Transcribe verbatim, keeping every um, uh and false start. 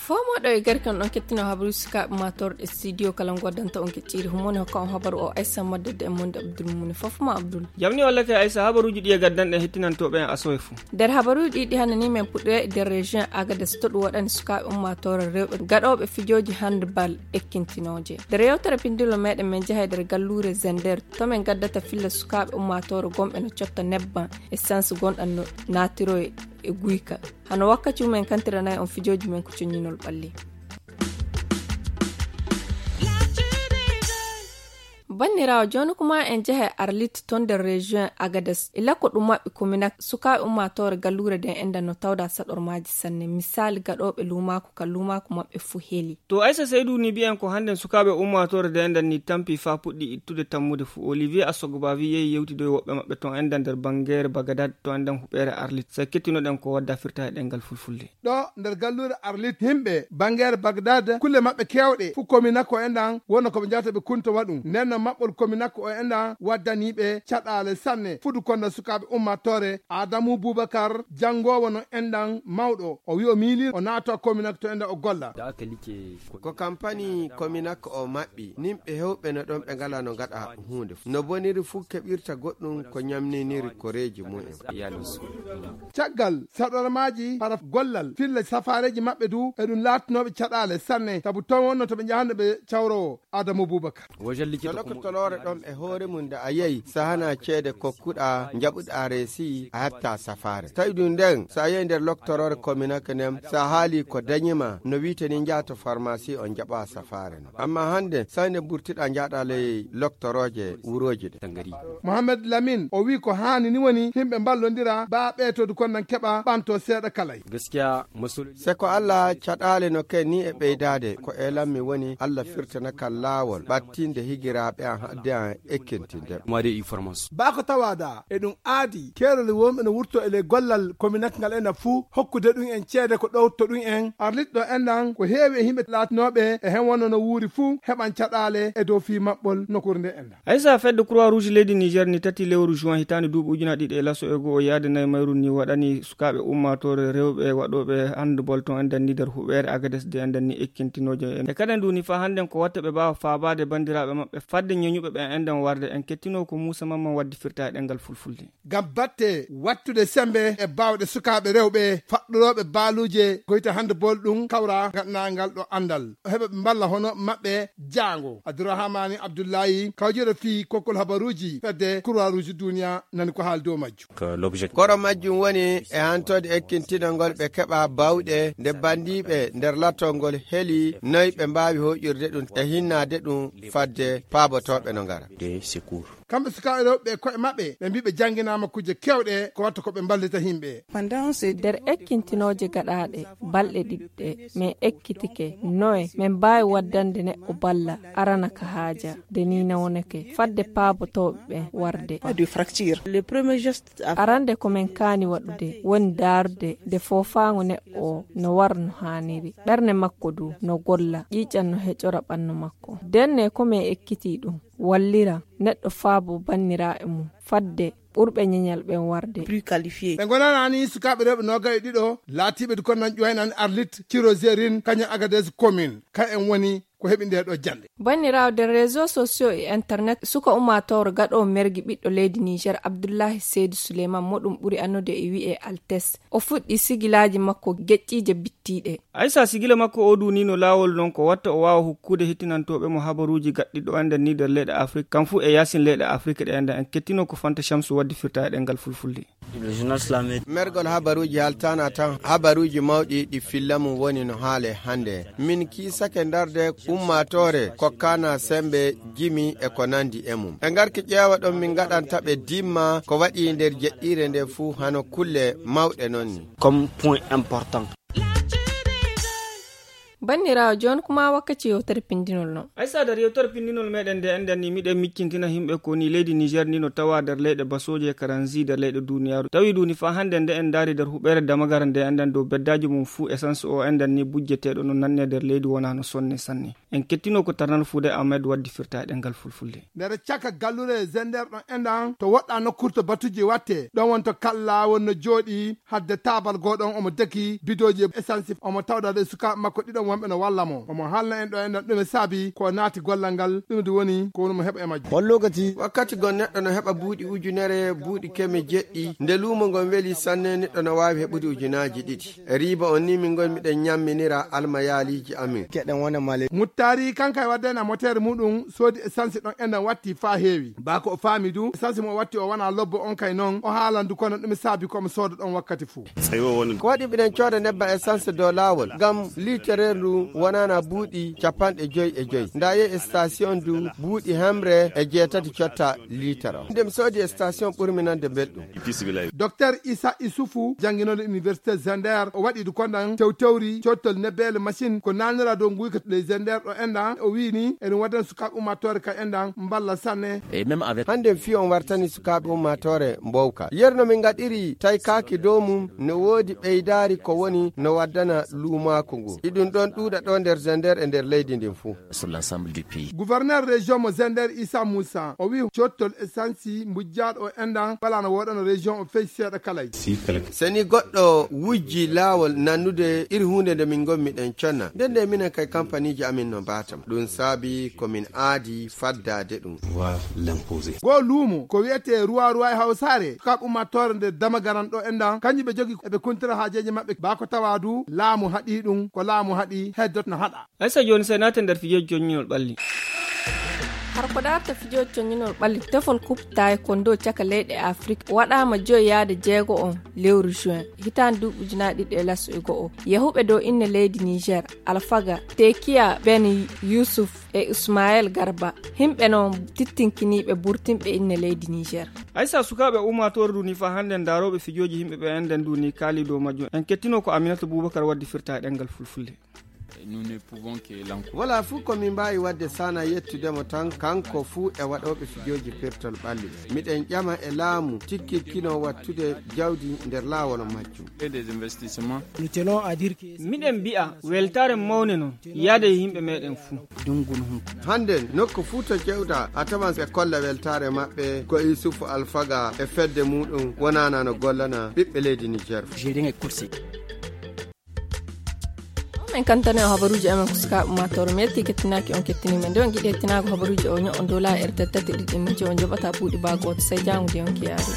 Fomoɗo e garkan ɗon kettino habaruuji sukaaɓe matorɗe studio kala goddanta on kecciri humoni hokka on habaru o aysa maddede e monde abdul mumuni fof ma abdul. Jamni walla ke aysa habaruuji ɗi e gaddanɗe hettinantooɓe en asowe fuu. Nder habaruuji ɗiɗi hannde ni men puɗɗoya e nder région agades to ɗum waɗani sukaaɓe ummaatoore rewɓe gaɗooɓe fijooji handball ekkintinooje. Nder yewtere pindilo meɗen men jaha e nder galluure zender to men gaddata filla sukaaɓe ummaatoore gomɓe no cotta nebban e sanse gonɗan no naatiro e guyka. Hano wakkaci mumen kantiranay on fijooji men ko coññinol ɓalli. Banniraawo jooni kuma en jehe arlit ton nder région agades e lakko ɗum maɓɓe kominak sukaaɓe ummaatoore galluure den enda no tawda saɗormaaji sanne misaali gaɗooɓe luumaaku ka luumaaku maɓɓe fuu heli. To aysa seydu ni mbiyen ko hannden sukaaɓe ummaatoore de enda ni tampi faa puɗɗi ittude tammude fuu olivier asogbavi yehi yewtidoy woɓɓe maɓɓe ton enda nder banngeere bagadad to enden huɓeere arlit sey kettinoɗen ko wadda firta e ɗengal fulfulde. Ɗo nder galluure arlit yimɓe banngeere bagdad kulle maɓɓe keewɗe fuu kominako enɗan wonno ko ɓe njahata ɓe kunto waɗum nden no maɓɓol kominako o enɗan waddaniiɓe caɗaale sanne fudu konda sukaaɓe ummaatoore adamu bubakar janngoowo no enɗan mawɗo o wi o miili o naata kominak to enɗan o golla. Ko kampani kominak o maɓɓi nimɓe hewɓe no ɗon ɓe ngala no ngaɗa huunde no boniri fuu keɓirta goɗɗum ko ñamniniri koreeji mumen. Caggal saɗormaaji hara gollal filla safaareeji maɓɓe du eɗum laatanooɓe caɗaale sanne sabu ton wonno to ɓe njahannde ɓe cawrowo adamu bubakar. Toloke toloore ɗon e hoore mum nde a yehi sahana ceede kokkuɗa njaɓuɗa reesi a hatta safaare tawi ɗum nden so a yehi nder loktoroore kominake nden so a haali ko dañima no wiite ni njaha to farmasi on njaɓa safaare non amma hannde sani nde burtiɗa njaaɗa ley loktorooje wurooji ɗe. Mohamed lamin o wi ko haani ni woni yimɓe mballondira baa ɓeetoodu kon nan keɓa ɓanto seeɗa kalay. Se ko allah caɗaale no ken ni e ɓeydaade ko elanmi woni allah firtana kan laawol ɓattinde higiraaɓe an hadde an ekkintinde. Baa ko tawaada e ɗum aadi keerol wonɓe no wurto e ley gollal kominak ngal ena fuu hokkude ɗum en ceede ko ɗowto ɗum en arlitɗo enɗan ko heewi e yimɓe laatinooɓe e hen wonno no wuuri fuu heɓan caɗaale e dow fii maɓɓol nokkuure nde enɗan. Aysa fedde croix rouge leydi niger ni tati lewru juin hitaande duuɓi ujunaaji ɗiɗi e laso e goo o yaade nayi mayru ni waɗani sukaaɓe ummaatoore rewɓe waɗooɓe handball ton enɗan ni nder huɓeere agades de enɗan ni ekkintinooje e kadi ndu ni faa hannden ko watta ɓe mbaawa faabaade banndiraaɓe maɓɓe fadde ñoñuɓe ɓen enɗan warde en kettinoo ko muusa mamman waddi firta e ɗengal fulfulde. Ngam batte wattude semmbe e baawɗe sukaaɓe rewɓe faɗɗorooɓe baaluuje goyta handball ɗum kawra ngaɗanangal ɗo anndal heɓa ɓe mballa hono maɓɓe jaango abdourahamani abdoullahi kawjere fii kokkol habaruuji fedde croix rouge duniya nani ko haali dow majjum. Koro majjum woni e hantode ekkintinol ngol ɓe keɓa bawɗe nde bandiiɓe nder lattol ngol heli noy ɓe mbaawi hoƴirde ɗum e hinnaade ɗum fadde paabotooɓe no ngara. Kamɓe sukaaɓe rewɓe ɓe koye maɓɓe ɓe mbii ɓe jannginaama kujje keewɗe ko watta ko ɓe mballita yimɓe. Nder ekkintinooje gaɗaaɗe balɗe ɗiɗɗe min ekkitike noye min mbaawi waddande neɗɗo balla arana ka haaja nde nii nawnake fadde paabotooɓe ɓen warde. Arande ko min kaani waɗude woni daarude nde foofaango neɗɗo o no wara no haaniri ɓernde makko du no golla ƴiiƴan no heƴora ɓannu makko. Denne ko min ekkitii ɗum wallira neɗɗo faabo banniraaɓe mum fadde ɓurɓe ñeñal ɓen warde. Ɓe ngonanaani sukaaɓe rewɓe noogay e ɗiɗo laatiiɓe du kon nan ƴuwaynaani arlit ciro zerin kañum agades commune ka en woni ko heɓi nde ɗo jannde. Banniraawo nder réseau sociaux e internet suka ummaatooro gaɗoowo mergi ɓiɗɗo leydi niger abdullahi seydi suleyman mo ɗum ɓuri annude e wi'e altes o fuɗɗi sigilaaji makko geƴƴiije bittiiɗe. Aysa sigila makko o duunino laawol non ko watta o waawa hokkude hettinantooɓe mo habaruuji gaɗɗiɗo enɗan ni nder leyɗe afrik kam fuu e yaasin leyɗe afrik ɗe enɗan en kettino ko fanta shamsu waddi firta e ɗengal fulfulde. Mergol habaruuji haltaana tan habaruuji mawɗi ɗi filla mum woni no haale hannde min kiisake ndarde ummaatoore kokkaana semmbe jimi e ko nanndi e mum ɓe ngarki ƴeewa ɗon min ngaɗanta ɓe dimma ko waɗi nder jeɗɗiire nde fuu hano kulle mawɗe non ni. Comme point important. Banndiraawo, jooni kuma wakkati yewtere pinndinol non. Aysa, nder yewtere pinndinol meɗen nde enɗen ni, miɗen miccintina yimɓe ko ni leydi Niger ni no tawa nder leyɗe basooje e karanzi nder leyɗe duniyaaru. Tawi duni fa hannde nde en ndaari nder huɓeere Damagara nde enɗen dow beddaaji mum fuu essence o enɗen ni bujjeteeɗo no nanne nder leydi wonaa no sonne sanne. En kettino ko tarnal fuude Ahmed waddi firta e ɗemngal fulfulde. Nder caka gallure Zender ɗon enɗan to woɗɗa nokkurto batuji watte, ɗon wonto kalla wonno jooɗi hadde taabal goo ɗon omo deki bidooji essence omo tawda ɗe sukaaɓe makko ɗiɗon wonɓe no walla mo. Omo haalna en ɗo enɗan ɗume saabi ko naati gollal ngal, ɗum ndu woni ko woni mo heɓa e majjum. Hol lokaci? Wakkati gon neɗɗo no heɓa buuɗi ujunere, buuɗi keme jeɗɗi. Nde luumo ngon weli sanne, neɗɗo no waawi heɓude ujunaaji ɗiɗi. E riiba on ni min ngon miɗen ñamminira almayaaliji amin. Keɗen wona male. Muttaari kanka e waddena moteere muɗum soodi essence ɗon enɗan watti faa heewi. Baa ko o faami du, essence mo o watti o wona lobbo on kay non, o haalan du kono ɗum saabi ko mo sooda ɗon wakkati fuu. Ko waɗi mbiɗen cooda nebba essence dow laawol, ngam liitereer ndu wonana buuɗi capanɗe joyi e joyi. Nda yehi e station du buuɗi hemre e jeetati cotta liitere. Nde mi soodi e station ɓurmi nande belɗum. Docteur Issa Issoufou, jannginooɗo Université Zender, o waɗi du kondan tewtewri cottol nebbele machine ko nanira dow nguyka ley Zender ɗo enɗan. O wi'i ni, eɗum waddana sukaaɓe ummaatoore ka enɗan mballa sanne. Hannde fii on wartani sukaaɓe ummaatoore mbowka. Yerno min ngaɗiri taykaaki dow mum, no woodi ɓeydaari ko woni no waddana luumaaku ngu. Iɗum ɗon ɗuuɗa ɗo nder Zender e nder leydi ndin fuu. Gouverneur région mo Zender Issa Moussa, o wi'i cottol essence mbujjaaɗo o enɗan wala no woɗano région o fey seeɗa kalay. Seni goɗɗo wujji laawol nannude iri huunde nde min ngonmi ɗen conna. Nden nde minen kay kampaniji amin no mbaatama. Ɗum saabi ko min aadi faddaade ɗum. Goo luumo ko wi'etee Ruwa Ruwa e Hawsaare, sukaaɓe ummaatoore nde Damagaran ɗo enɗan, kanjum ɓe jogi eɓe kuntira haajeeji maɓɓe. Baa ko tawa du laamu haɗi ɗum, ko laamu haɗi heddot no haɗa. Aysa, jooni sey naaten nder fijooji coññinol ɓalli. Har ko daarta fijooji coññinol ɓalli, tefol kuppitaay kon dow caka leyɗe Afrik waɗaama joyi yaade jeego on lewru juin, hitaande duuɓi ujunaaji ɗiɗi e laso e go'o. Yahuɓe dow inne leydi Niger, Alfaga, Tekiya Ben Yusuf e Ismael Garba, himɓe non tittinkiniiɓe burtinɓe inne leydi Niger. Aysa, sukaaɓe ummaatoore du ni fa hannde ndaarooɓe fijooji yimɓe ɓe enɗen du ni kaali dow majjum. En kettino ko Aminata Bubakar waddi firta e ɗemngal fulfulde. Wala fuu ko min mbaawi waɗde sana yettude mo tan, kanko fuu e waɗooɓe fijooji pirtol ɓalli ɓe. Miɗen ƴama e laamu tikkirkino wattude jawdi nder laawol majjum. Miɗen mbi'a weltaare mawne non yaade e yimɓe meɗen fuu. Hannden nokku fuu to ƴewɗa a tawan ɓe kolla weltaare maɓɓe ko Yusufu Alfaga e fedde muɗum wonana no gollana ɓiɓɓe leydi Niger. Min kantane o habaruuji amen ko sukaaɓe ummaatoore. Mi yetti kettinaaki on kettiniima. Nde on ngiɗi hettinaago habaruuji o ño'on dow laa R T T tati ɗiɗi minti on joɓata buuɗi baa gooto. Sey jaango de on kiyaari.